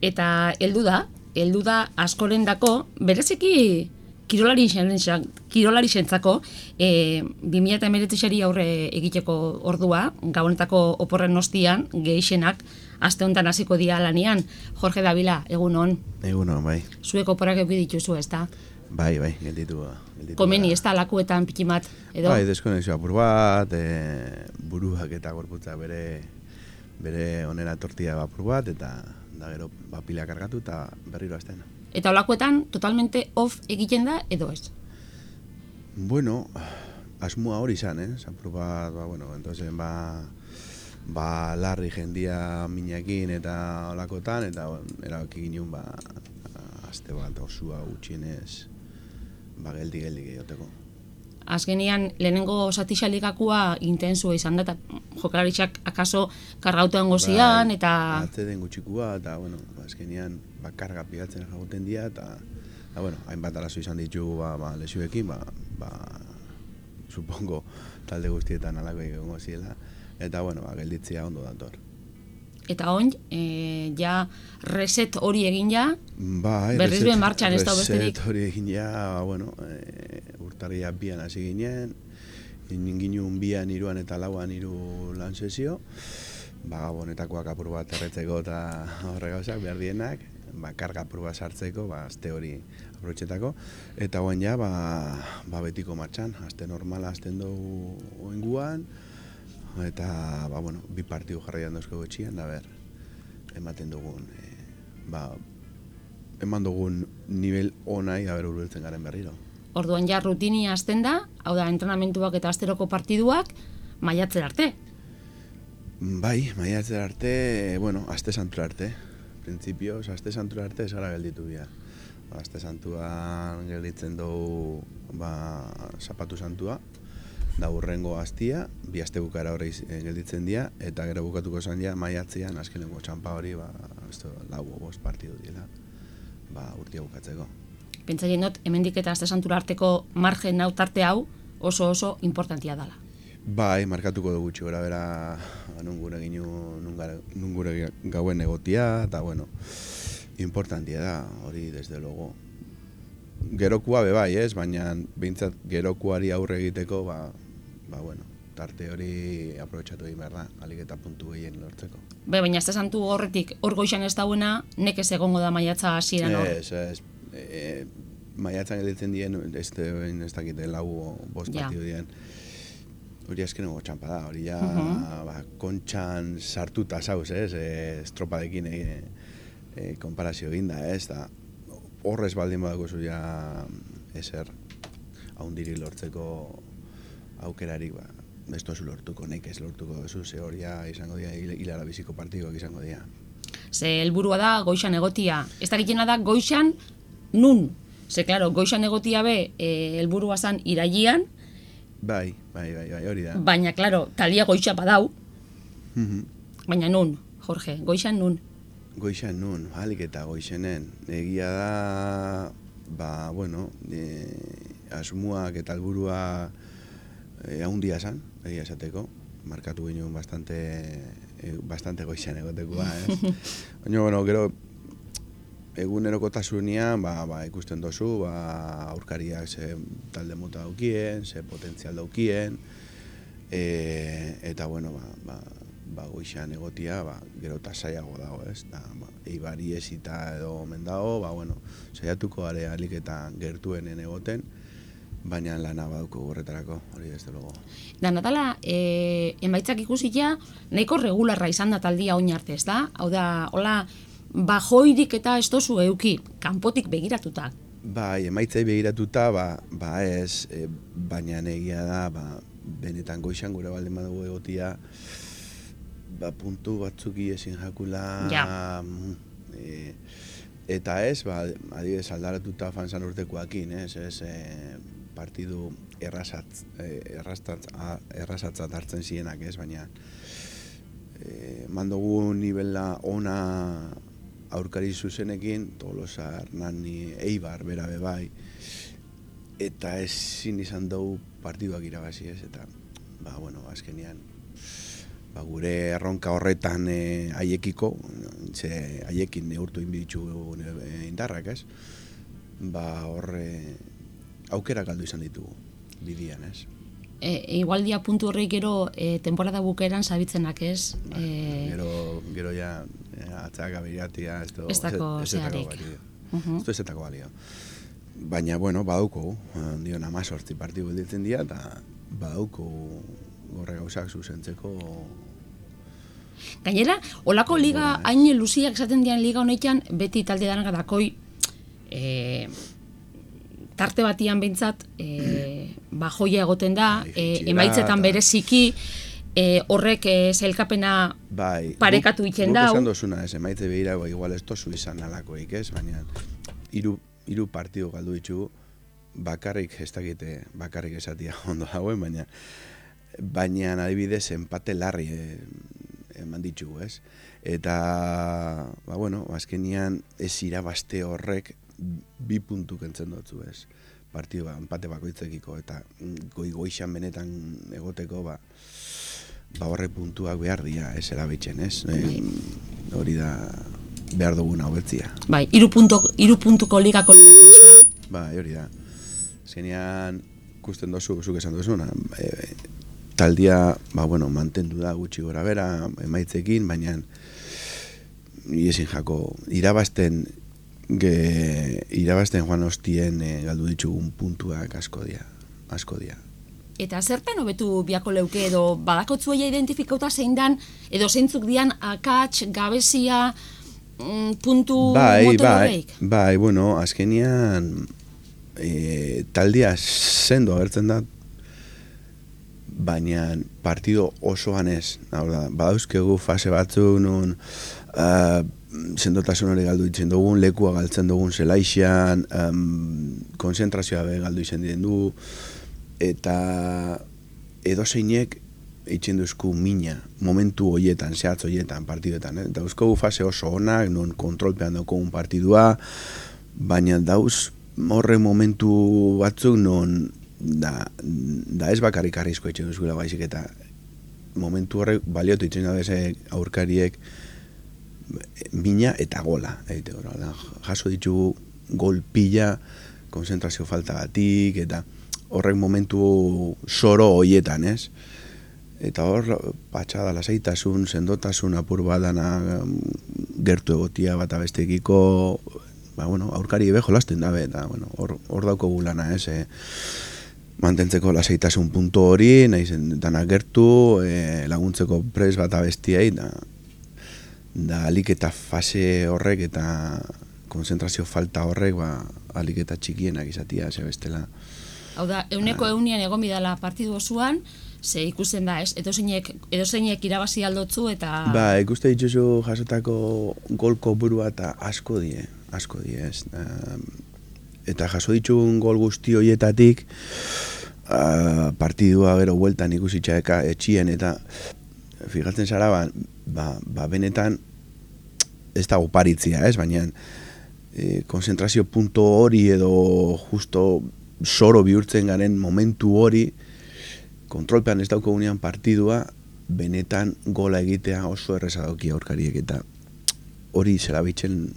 Eta heldu da askorendako, bereziki kirolarientzako 2019 aurre egiteko ordua, gabonetako oporren ostian, gehixenak aste honetan hasiko dira lanian. Jorge Davila, egun on. Egun on, bai. Zuek oporrak eduki dituzu, ezta? Bai, gelditu. Komeni, ez da lakuetan pikimat, edo? Bai, deskonexio apur bat, buruak eta gorputzak bere onera tortilla apur bat, eta da gero pila kargatu eta berriro hasten. Eta olakoetan totalmente off egiten da, edo ez? Bueno, asmoa hori izan, apur bat, entonces, larri jendia minakin eta olakotan, eta erabaki ginen, aste bat osua gutxienez, geldi gehioteko. Azkenean, lehenengo satixalikakua intensua izan da, eta jokalaritzak akaso kargautean gozian, eta... Atzeden gutxikua, eta, azkenean, karga pigatzen jagoten dira, eta, hainbat arazo izan ditugu, lesioekin, supongo, talde guztietan alako egongo ziela, eta, gelditzea ondo dator. Eta oin, ja reset hori egin ja, berriz behen martxan ez da besterik. Reset hori egin ja, urtarria bian hasi ginen, ginun bian, iruan eta lauan hiru lan sesio, gabonetakoak apur bat erretzeko eta horre gauzak behar dienak, karga apur bat sartzeko, aste hori aprobetxetako, eta oin ja, betiko martxan, aste normala azten dugu oinguan, eta, bi partidu jarraian dauzko etxian, ematen dugun, eman dugun nivel onai, urbiltzen garen berriro. Orduan ja rutini hasten da, hau da, entrenamentuak eta asteroko partiduak, maiatzer arte. Bai, maiatzer arte, aste santura arte. Printzipioz, aste santura arte ez gara gelditu bia. Aste santuan gelditzen dugu, zapatu santua, da urrengo astia, bi aste bukara hori gelditzen dira, eta gero bukatuko zan dira maiatzean, azkeneko txampa hori, lau bost partidu dira, urtia bukatzeko. Pentsaien dut, hemendik eta aste santura arteko margen tarte hau oso importantia dela. Bai, markatuko dugu gutxi gora bera, nun gure gauen egotia, eta importantia da, hori desde logo. Gerokua bai, baina behintzat gerokuari aurre egiteko, tarte hori aprobetxatu egin behar da, alik eta puntu gehien lortzeko. Baina aste santu horretik, hor goixan ez dauena, nekez egongo da maiatza hasieran hor? Ez. Maiatzan gelditzen dien, ez dakite lau bost partidu dien. Hori azkeneko txampa da, hori ja kontxan sartuta zauz, estropadekin konparazio eginda, da horrez baldin badako zu ja ezer haundiri lortzeko aukerarik, ez tozu lortuko, nekez lortuko duzu, ze hori izango dira, hilara biziko partiduak izango dira. Ze helburua da goixan egotia, ez dakitena da goixan nun, ze klaro, goixan egotia be helburua zan irailean, Bai, hori da. Baina, klaro, talia goixa badau. Baina nun, Jorge, goixan nun? Goixan nun, alik eta goixenen. Egia da, asmuak eta helburua haundia zan, egia esateko. Markatu ginen bastante goixan egotekoa, Baina, gero, egunerokotasunean, ikusten dozu, aurkariak ze talde mota daukien, ze potentzial daukien, eta, goixan egotia, gero eta saiago dago, Eibari ezita edo omen dago, saiatuko gare alik eta gertuenen egoten, baina lana baduko horretarako, hori ez dugu. Da, Natala, emaitzak ikusita, nahiko regularra izan da taldia oin arte, ez da? Hau da, hola, bajoirik eta ez dozu euki, kanpotik begiratuta. Bai, emaitzai begiratuta, ez, baina egia da, benetan goixan gure baldin badugu egotia, puntu batzuki ezin jakula, eta ez, adibidez aldaratuta fanzan urtekoakin, ez, partidu errazatzat hartzen zienak, ez, baina mandogu nivela ona aurkari zuzenekin, Tolosa, Hernani, Eibar, bera bebai, eta ezin izan dugu partiduak irabazi, ez, eta, azkenean, gure erronka horretan haiekiko, haiekin neurtu inbiditzu indarrak, ez? Horre aukera galdu izan ditugu bidian, ez? Igual dia puntu horrek gero temporada bukeran zabitzenak, ez? Gero ja atzaka biratia, ez dako zeharek. Ez zetako balio. Baina, bueno, badauko, dion 18 partidu ditzen dira, eta badauko gorre gauzak zuzentzeko. Gainera, olako liga, hain luziak esaten dian liga honetan, beti talde danak dakoi, tarte batian behintzat, joia egoten da, emaitzetan bereziki, horrek zelkapena parekatu itzen dau. Guk esan dozuna, emaitze behira, igual ez tozu izan alakoik, ez? Baina, hiru partidu galdu ditugu, bakarrik esatia ondo dagoen, baina adibidez enpate larri eman ditugu, ez? Eta, azkenian ez irabazte horrek 2 puntu kentzen dutzu, ez? Partidua, enpate bakoitzekiko, eta goixan benetan egoteko, horrek puntuak behar dira, ez erabitzen, ez? Hori da behar duguna hobetzia. Bai, 3 puntuko ligako ligako, ez da? Bai, hori da. Zenean, ikusten dozu, zuk esan duzuna, taldia, mantendu da gutxi gora bera, emaitzekin, baina ezin jako, irabazten joan hostien galdu ditugun puntuak asko dia. Eta zertan hobetu biako leuke edo badakotzuela identifikauta zein dan, edo zeintzuk dian akats, gabezia, puntu motor horreik? Bai, azkenian taldia sendo agertzen da, baina partido osoan ez. Badauzkegu fase batzuk nun sendotasun hori galdu itzen dugun, lekua galtzen dugun zelaixan, konzentrazioa galdu izen diren du, eta edozeinek eitzen duzku mina, momentu horietan, zehatz horietan, partiduetan. Eta dauzkogu fase oso onak, non kontrolpean daukogun partidua, baina dauz horre momentu batzuk non da ez bakarrik arrizko eitzen duzula baizik, eta momentu horrek baliotu itzen dabeze aurkariek mina eta gola. Jaso ditugu gol pila, konzentrazio falta batik, eta horrek momentu soro horietan, ez? Eta hor, patxada, lasaitasun, sendotasun, apur badana gertu egotia bat abestekiko, aurkari ebe jolasten dabe, eta hor dauko gulana, ez? Mantentzeko lasaitasun puntu hori, nahizen dana gertu, laguntzeko pres bat abestiai, da alik eta fase horrek eta konzentrazio falta horrek, alik eta txikienak izatia, ze bestela. Hau da, 100% egon bidala partidu osoan, ze ikusten da, ez? Edozeinek irabazi aldotzu eta... Ikuste dituzu jasotako golko burua eta asko die, ez? Eta jaso ditun gol guzti horietatik, partidua gero bueltan ikusitxaeka etxien, eta fijatzen zara, benetan ez dago paritzia, ez? Baina konzentrazio punto hori edo justo soro bihurtzen garen momentu hori, kontrolpean ez dauko gunean partidua, benetan gola egitea oso erreza dauki aurkariek, eta hori zelabitzen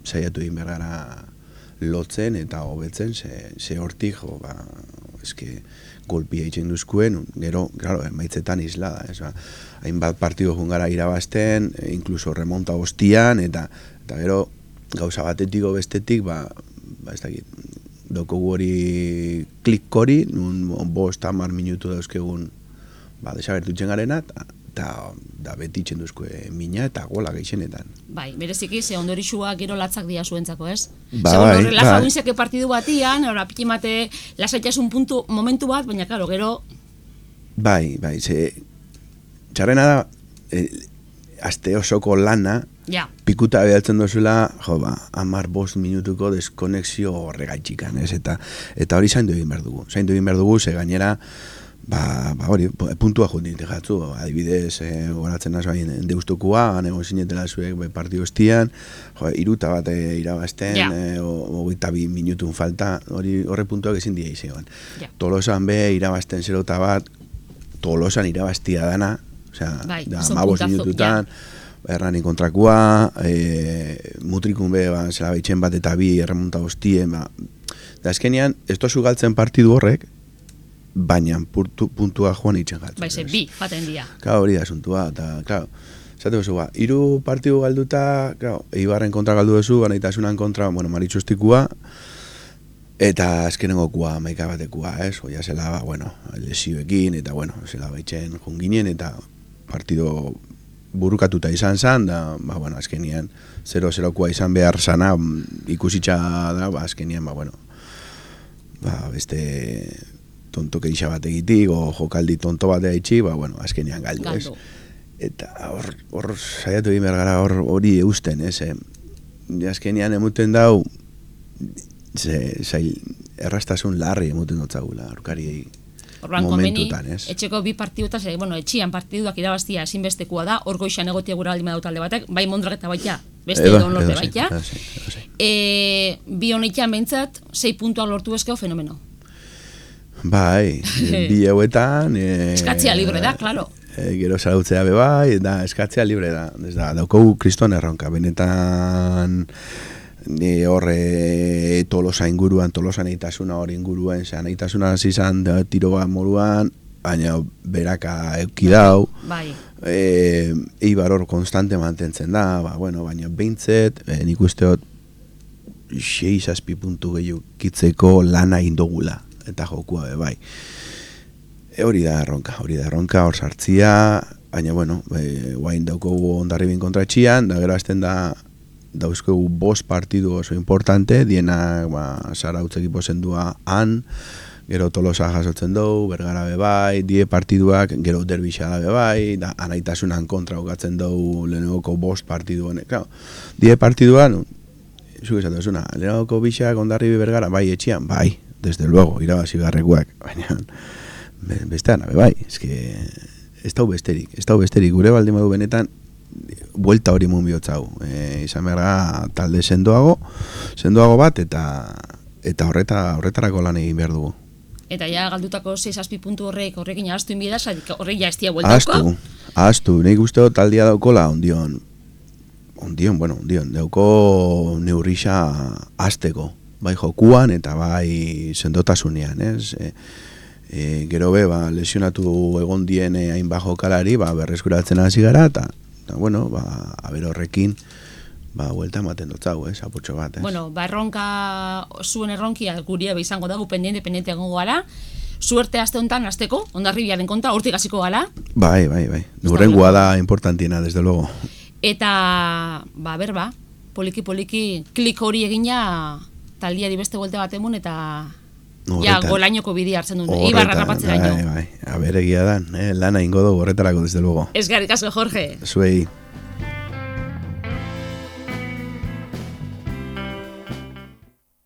saiatu egin bergara lotzen eta hobetzen, ze hortik, golpia egiten duzkuen, gero, maitzetan islada, ez? Hainbat partidu jungara irabazten, inkluso remonta hostian, eta gero gauza batetiko bestetik, ez dakit, daukogu hori klik hori, nun 5-10 minutu dauzkegun desagertutzen garena, eta beti itzen duzkue mina eta gola geixenetan. Bai, bereziki, ze ondorixua gero latzak dia zuentzako, ez? Segun relaja guinzeke partidu batian, pikimate lasaitasun momentu bat, baina, klaro, gero... Bai, ze... Txarrena da, aste osoko lana, pikuta behatzen dozula, 10-5 minutuko deskonexio horregaitxikan, ez? Eta hori zaindu egin behar dugu, ze gainera, hori, puntua jundin jatzu, adibidez, horatzen nazo hain deustokua, nego zinetela zuek partidu hostian, iruta bat irabazten, 22 minutun falta, horre puntuak ezin dira izegoen. Tolosan be irabazten 0-bat, Tolosan irabaztia dana, Osea, Bai, da, son 15 puntazo, minututan, Hernani kontrakoa, Mutrikun be, zela behitxen bat eta bi erremonta hostien, da azkenean, ez tozu galtzen partidu horrek, baina puntua joan itxen galtzen. Bai, bi, jaten dia. Claro, hori da asuntua, eta, claro, esateko zu, hiru partidu galduta, claro, Eibarren kontra galdu duzu, Anaitasunan kontra, bueno, Maritxustikua, eta azkenengokua, maika batekua, oia zela, bueno, lesioekin, eta, bueno, zela behitxen junginen, eta partido burukatuta izan zan, da, bueno, azkenian 0-0koa izan behar zana, ikusitxa da, azkenian, bueno, beste tonto keixa bat egitik, o jokaldi tonto bat egitxi, bueno, azkenian galdu, ez? Eta hor saiatu egin behar gara hori eusten, ez? Azkenian emuten dau, errastasun larri emuten dotzagula, aurkariei. Orban momentutan, etxeko bi partidutaz, bueno, etxian partiduak irabaztia ezinbestekoa da, hor goixan egotia gura aldi madau talde batek, bai Mondrak eta baita, beste edo norte baita. Bi honetian behintzat, 6 puntuak lortu ezkeo fenomeno. Bai, bi hauetan... Eskatzea libre da, klaro. Gero zarautzea bebai, eta eskatzea libre da. Daukogu kriston erronka, benetan... horre Tolosa inguruan, Tolosa nahitasuna hori inguruan, nahitasuna zizan tiro bat moruan, baina beraka eukidau, Eibar hor konstante mantentzen da, baina behintzet, nik usteot 6-7 puntu gehiago kitzeko lana indogula, eta jokua bai. Hori da erronka, hor sartzia, baina, bueno, guain daukogu Hondarribin kontra etxian, da gero azten da dauzkegu 5 partidu oso importante, diena Zarautz ekipo zendua han, gero Tolosa jasotzen dugu, Bergara bebai, 10 partiduak, gero Derbixa da bebai, da Anaitasunan kontra okatzen dugu lehenengoko 5 partidu honek. Claro, 10 partiduan, zuke esatuzuna, lehenengoko bixak, Hondarribi Bergara, bai etxian, bai, desde luego, irabazi beharrekoak, baina bestean, bai, ez dau besterik, gure baldin badu benetan, buelta hori mun bihotzau. Izan behar talde sendoago bat, eta horretarako lan egin behar dugu. Eta ja galdutako 6-7 puntu horrekin ahaztu inbida, horrek ja ez tia bueltauko? Ahaztu, nahi guzteo taldia daukola ondion, dauko neurrixa azteko, bai jokuan eta bai sendotasunean, ez? Gero be, lesionatu egon dien hain bajo kalari, berreskuratzen hasi gara, eta bueno, aber horrekin, huelta ematen dotzau, apurtxo bat, Bueno, erronka, zuen erronkia guria izango dago, pendiente egongo gara, suerte aste honetan, azteko, Hondarribiaren konta, hortik hasiko gara. Bai, gurrengoa da importantiena, desde luego. Eta, poliki, klik hori egina, taldiari beste buelte bat emun, eta golainoko bidea hartzen duen, Eibarra rapatzera ino. Bai, egia da, lana ingo dugu horretarako, desde luego. Eskerrik asko, Jorge. Zuei.